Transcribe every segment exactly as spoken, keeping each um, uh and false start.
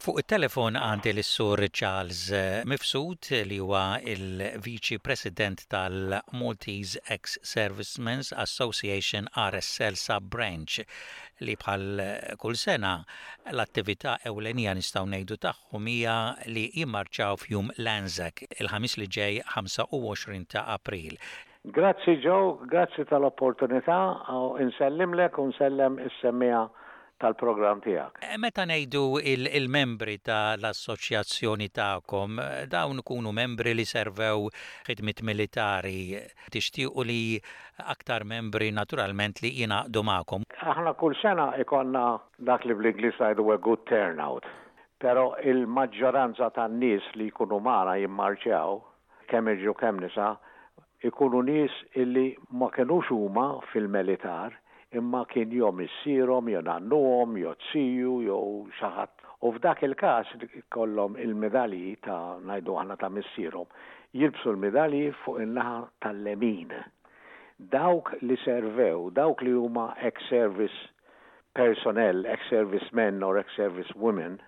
Fuq it-telefon għandi l-Sur Charles Mifsud, li huwa il-Viċi President tal-Maltese Ex-Servicemen's Association R S L Sub-Branch, li bħal kull sena l-attività ewlenija, nistgħu ngħidu, tagħhom hija li jimmarċaw f'jum l-Anzac, il-Ħamis li ġej, ħamsa u għoxrin ta' April. Grazzi Joe, grazzi tal-opportunità, insellimlek u nsellem is-semmiegħa tal-programm tiegħek. Eh, meta ngħidu il-membri tal-assoċjazzjoni tagħkom, dawn ikunu membri li servew ħidmiet militari. Tixtiequ li aktar membri naturalment li jingħaqdu magħkom. Aħna kull sena ikollna dak li bl-Ingliż ngħidu a good turnout. Però il-maġġoranza tan-nies li jkunu magħna jimmarċjaw, kemm irġiel kemm nisa, ikunu nies illi ma kenux huma fil-militar, imma kien jew missierhom, jew nannuhom, jew ziju, jew xi ħadd. U f'dak il-każ kollhom il-medalji ta', ngħidu aħna, ta' missierhom, jilbsu l-medalji fuq in-naħa tal-lemin. Dawk li servew, dawk li huma ex-service personnel, ex-service men or ex-service women,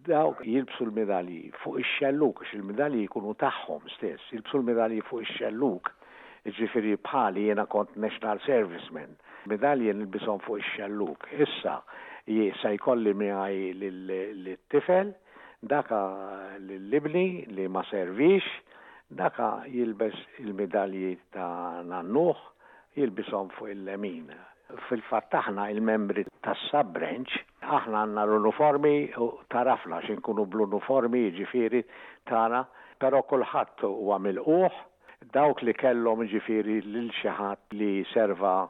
dawk jilbsu l-medalji fuq ix-xelluk, għax il-medalji jkunu tagħhom stess, jilbsu l-medalji fuq ix-xelluk, ġifieri bħali jiena kont National Serviceman. Medalji nilbishom fuq ix-xelluk. Issa, se jkolli miegħi l-tifel, daka l-ibni li ma servix, daka jilbes il-medalji ta' nannuh, jilbishom fuq il-lemin. Fil-fatt aħna il-membri tas-sub-branch, aħna għandna l-uniformi u tarafna x'inkunu bl-uniformi ġifieri tagħna, però kulħadd huwa milqugħ, dawk li kellhom ġifieri lil xi ħadd li serva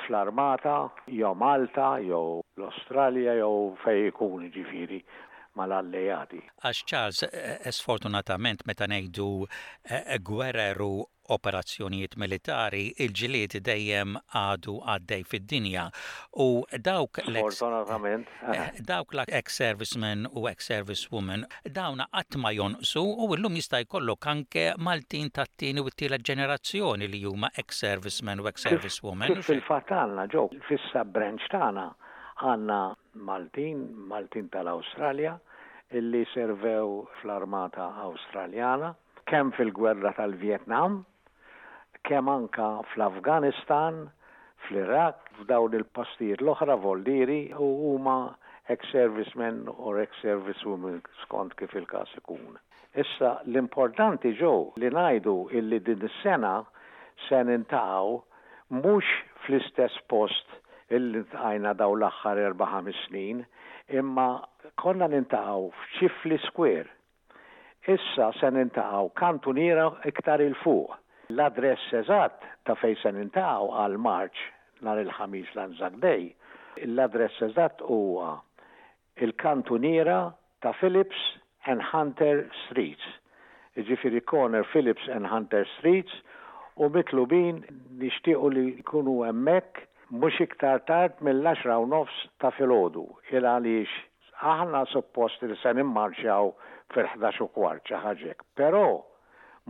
fl-armata, jew Malta, jew l-Australja, jew fej ikun ġifieri mal-allejati. Għax Charles, eh, sfortunatament meta ngħidu eh, gwerer u operazzjonijiet militari, il-ġilied dejjem għadu għaddej fid-dinja. U dawk Sfortunatament. Eh, dawk l-ex-servicemen u ex-servicewomen, dawna qatt ma jonqsu u llum jista' jkollok anke Maltin tat-tieni u t-tielet ġenerazzjoni li huma ex-servicemen u ex-servicewomen. Kif fil-fatt għandna ġew fis-sub-branch tagħna, għandna Maltin, Maltin tal-Awstralja, illi servew fl-armata Awstraljana, kemm fil-gwerra tal-Vietnam, kemm anka fl-Afganistan, fl-Iraq, f'dawn il-postijiet l-oħra voldieri u huma ex-servicemen or ex-servicewomen skont kif il-każ ikun. Issa l-importanti ġew li ngħidu illi din is-sena se niltaqgħu mhux fl-istess post illi ltqajna daw l-aħħar erba' ħames snin, imma konna niltaqgħu f'Chifley Square. Issa se niltaqgħu kantuniera iktar 'il fuq. L-adress eżatt ta' fejn se niltaqgħu għal marċ nhar il-Ħamis, l-Anzac Day, l-adress eżatt huwa il-kantuniera ta' Phillips and Hunter Streets. Ġifieri corner Phillips and Hunter Streets, u mitlubin nixtiequ li jkunu hemmhekk mhux iktar tard mill-għaxra u nofs ta' filgħodu, il għaliex aħna suppost li se nimmarċjaw fil-ħdax u kwart, xi ħaġa. Però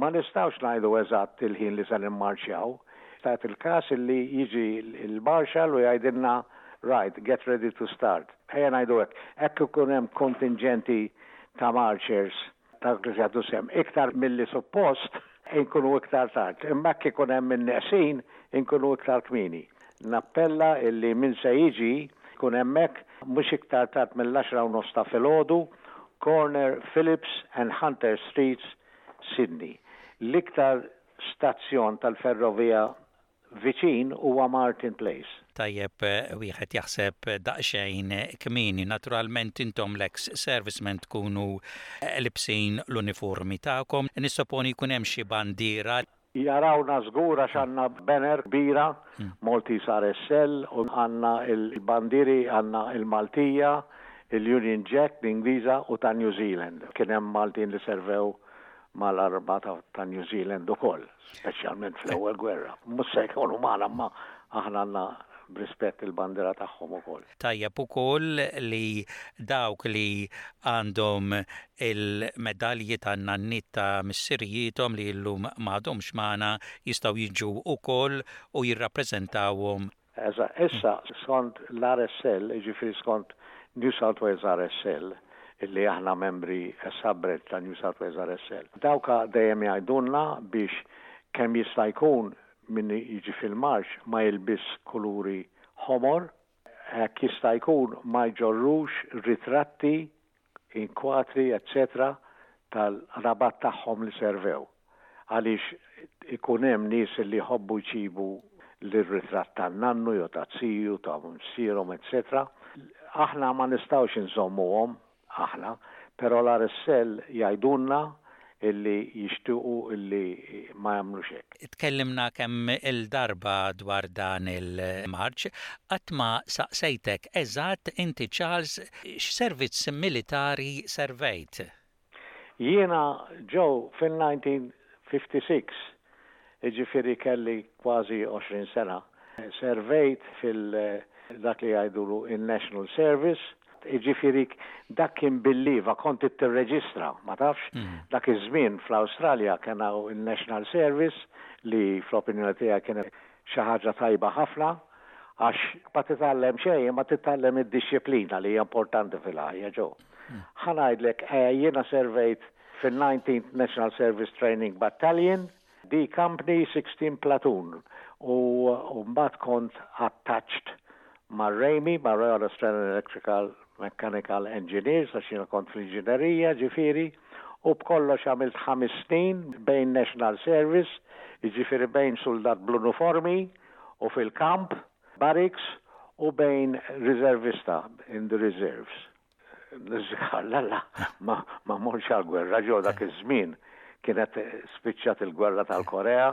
ma nistgħux ngħidu eżatt il-ħin li se nimmarċjaw. Stat il-każ li jiġi il-marshal u jgħidilna, "Right, get ready to start." Ejja ngħidu hekk, hekk ikun hemm kontingenti ta' marchers ta' li jagħtu sehem iktar milli suppost, inkunu iktar tard. Imma hekk ikun hemm in-neqsin, inkunu iktar kmieni. Nappella illi min se jiġi jkun hemmhekk mhux iktar tard mill-għaxra u nofs ta' filgħodu, corner Phillips and Hunter Streets, Sydney. L-iktar stazzjon tal-ferrovija viċin huwa Martin Place. Tajjeb eh, wieħed jaħseb daqsxejn kmieni. Naturalment intom l-ex servicemen tkunu eh, libsin l-uniformi tagħkom. Nissoponi jkun hemm xi bandiera. Jarawna żgur għax għandna banner kbira, hmm. Maltese R S L, u għandna il-bandiri, għandna il-Maltija, il-Union Jack, l-Ingliża u ta' New Zealand. Kien hemm Maltin li servew mal-armata ta' New Zealand ukoll, speċjalment fl-ewwel gwerra. Mhux se jkunu magħna, ma aħna għandna b'rispett il-bandira tagħhom ukoll. Tajjeb ukoll li dawk li għandhom il-medalji ta' nanniet, ta' missirijiethom li llum m'għadhomx magħna, jistgħu jiġu ukoll u jirrappreżentawhom. Issa, skont l-R S L, ġifieri skont New South Wales R S L, illi aħna membri sub-branch ta' New South Wales R S L. Dawk dejjem jgħidulna biex kemm jista' jkun min jiġi fil-marċ ma jilbis kuluri ħomor, hekk jista' jkun ma jġorrux ritratti, inkwatri, eccetera tal-qrabat tagħhom li servew. Għaliex ikun hemm nies li jħobbu jġibu l-ritratt tan-nannu jew ta' ziju, ta' missierhom, eccetera. Aħna ma nistgħux inżommuhom aħna, però l-R S L jgħidulna illi jixtiequ illi ma jagħmlux hekk. Tkellimna kemm il-darba dwar dan il-marċ, qatt ma saqsejtek eżatt inti, Charles, x'servizz militari servejt? Jiena ġew fil-elf disa' mija u ħamsa u ħamsin, ġifieri kelli kważi għoxrin sena, servejt fil- dak li jgħidulu in-National Service, ġifieri dak kien bil-liva, kont tirreġistra, ma tafx, mm. dak iż-żmien fl-Awstralja kien il-National Service li fl-opinjoni tiegħi kienet xi ħaġa tajba ħafna, għax ma titgħallem xejn, ma titgħallem id-dixxiplina li hija importanti fil-ħajja ġo. Mm. Ħa ngħidlek, eh, jiena servejt fil-nineteenth National Service Training Battalion, D Company, sixteen Platoon, u mbagħad kont attached ma' RAEME, ma' Royal Australian Electrical Mechanical Engineers, għax jiena kont fl-inġinerija, ġifieri, u b'kollox għamilt ħames snin bejn National Service, ġifieri bejn soldat bl-uniformi u fil-kamp, barracks, u bejn reservista in the reserves. Lalla, ma, ma mortx għal-gwerra ġo dak iż-żmien, kienet spiċċat il-gwerra tal-Korea,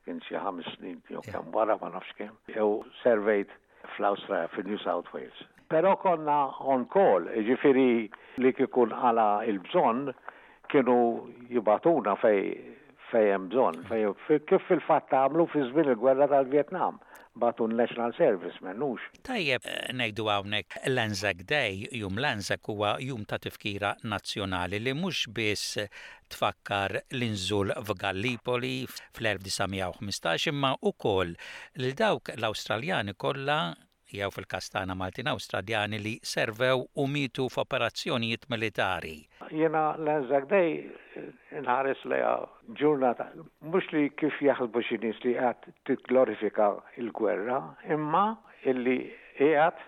kien xi ħames snin jew kemm wara, ma nafx kemm. Jew servejt fl-Awstralja, fil-New South Wales. Però konna on call, ġifieri li kikun għala il-bżonn kienu jibagħtuna fej fej hemm bżonn, fej kif fil-fatt għamlu fi żmien il-gwerra tal-Vietnam, bagħtu National Service, mhux. Tajjeb ngħidu hawnhekk l-Anzac Day, jum l-Anzac, huwa jum ta' tifkira nazzjonali li mhux biss tfakkar l-inżul f'Gallipoli fl-elf disa' mija u ħmistax imma ukoll lil dawk l-Awstraljani kollha jew fil-każ tagħna Maltin Awstraljani li servew u mietu f'operazzjonijiet militari. Jiena l-Anzac Day nħares lejha ġurnata, mhux li kif jaħsbu xi nies li qed tigglorifika il-gwerra, imma illi qiegħed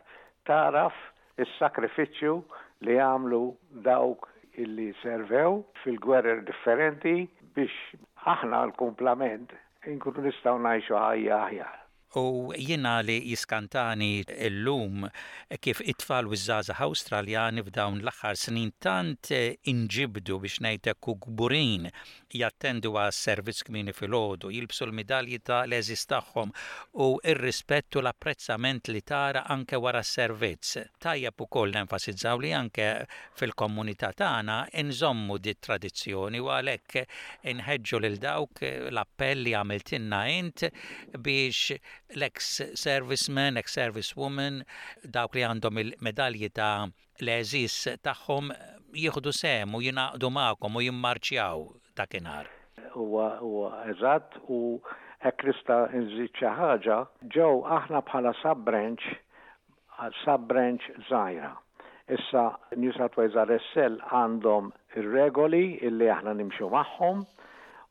taraf is-sakrifiċċju li għamlu dawk illi servew fil-gwerer differenti biex aħna l-kumplament inkunu nistgħu ngħixu ħajja aħjar. U jiena li jiskantani illum kif it-tfal u żgħażagħ Awstraljani f'dawn l-aħħar snin tant inġibdu, biex ngħidlek, u kburin jattendu għas servizz kmieni filgħodu, jilbsu l-midalji ta' l-għeżież tagħhom u ir-rispett u l-apprezzament li tara anke wara s-servizz. Tajjeb ukoll nenfasizzaw li anke fil-komunità tagħna inżommu dit tradizzjoni u għalhekk inħeġġu lil dawk, l-appell li għamiltilna int, biex l-ex serviceman, ex servicewoman, dawk li għandhom il-medalji ta' l-għeżież tagħhom jieħdu sehem u jingħaqdu magħkom u jimmarċjaw dakinhar. Huwa huwa eżatt, u hekk nista' nżid xi ħaġa, ġew aħna bħala sub-branch, sub-branch żgħira. Issa New South Wales R S L għandhom ir-regoli illi aħna nimxu magħhom,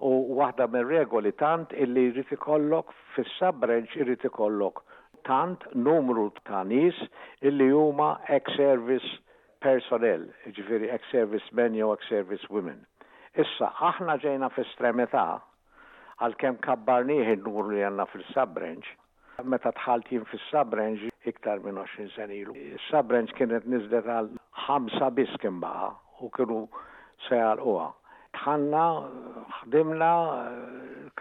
u waħda mir-regoli tant illi jrid ikollok fis-sub-branch, irid ikollok tant numru ta' nies illi huma ex-service personnel, ġifieri ex-service men jew ex-service women. Issa, aħna ġejna f'estremità, għalkemm kabbarnieh il-numru li għandna fil-sub-branch, meta dħalt jien fis-sub-branch iktar minn għoxrin sena ilu. Is-sub-branch kienet niżlet għal ħamsa biss kien baqa' u kienu se jagħlquha. Dħalna, ħdimna,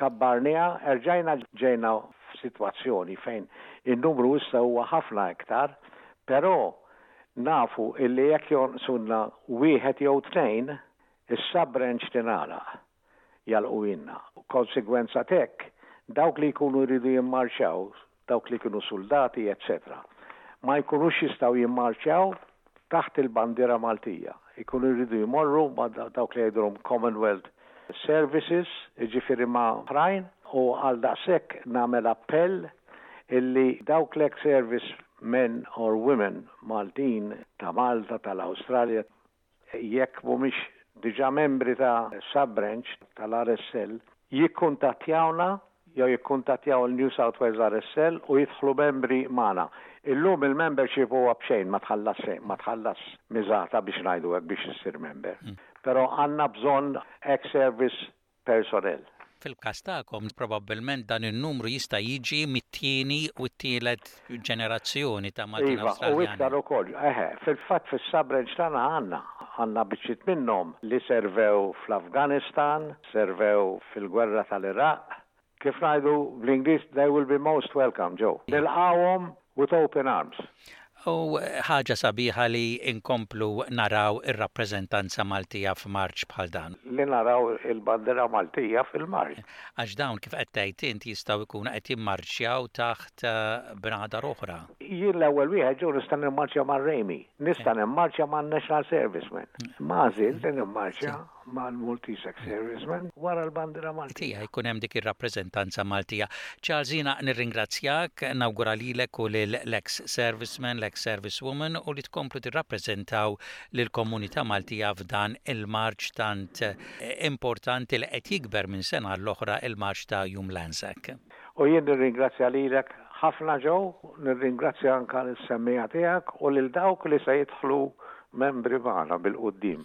kabbarniha, erġajna ġejna f'sitwazzjoni fejn il-numru issa huwa ħafna iktar, però nafu illi jekk jonqsunna wieħed jew tnejn, is-sub-branch tingħalaq, jagħlquhielna. Konsegwenza t'hekk, dawk li jkunu jridu jimmarċaw, dawk li kienu soldati, eccetera, ma jkunux jistgħu jimmarċaw taħt il-bandiera Maltija. Ikunu jridu jmorru ma' dawk li jgħidulhom Commonwealth Services, ġifieri ma' oħrajn, u għal daqshekk nagħmel appell Illi dawk l-ex-service men or women Maltin ta' Malta, tal-Awstralja, jekk mhumiex diġà membri ta' sub-branch tal-R S L, jikkuntattjawna jew jikkuntattjaw il-New South Wales R S L u jidħlu membri magħna. Illum il-membership huwa b'xejn, ma tħallas xejn, ma tħallas miżata biex ngħidu hekk biex issir member. Mm. Però għandna bżonn ex-service personnel. Fil-każ tagħkom probabbilment dan in-numru jista' jiġi mit-tieni u t-tielet ġenerazzjoni ta' Maltin Iva, u iktar ukoll. Eħe, fil-fatt fis-sub-branch tagħna għandna għandna biċċiet minnhom li servew fl-Afganistan, servew fil-gwerra tal-Iraq. Kif ngħidu bl-Ingliż, they will be most welcome, Joe. Nilqawhom with open arms. U ħaġa sabiħa li inkomplu naraw ir-rappreżentanza Maltija f'marċ bħal dan. Li naraw il-bandera Maltija fil-marċ. Għax dawn, kif qed tgħid int, jistgħu jkunu qed jimmarċjaw taħt eh, bnadar oħra. Jien l-ewwel wieħed, Joe, nista' nimmarċja mar-R A M I, nista' nimmarċja man-National Servicemen. Ma għażilt li nimmarċja mal-Maltese Ex-Servicemen wara l-bandera Maltija. Tija jkun hemm dik ir-rappreżentanza Maltija. Charles, jiena nirringrazzjak, nawgura lilek u lill-ex serviceman, l-ex servicewoman u li tkomplu tirrappreżentaw lill-komunità Maltija f'dan il-marċ tant importanti li qed jikber minn sena l-oħra, il-marċ ta' Jum l-Anzac. U jien nirringrazzja lilek ħafna, Joe, nirringrazzja anka lis-semmiegħa tiegħek u lil dawk li se jidħlu membri magħna bil-quddiem.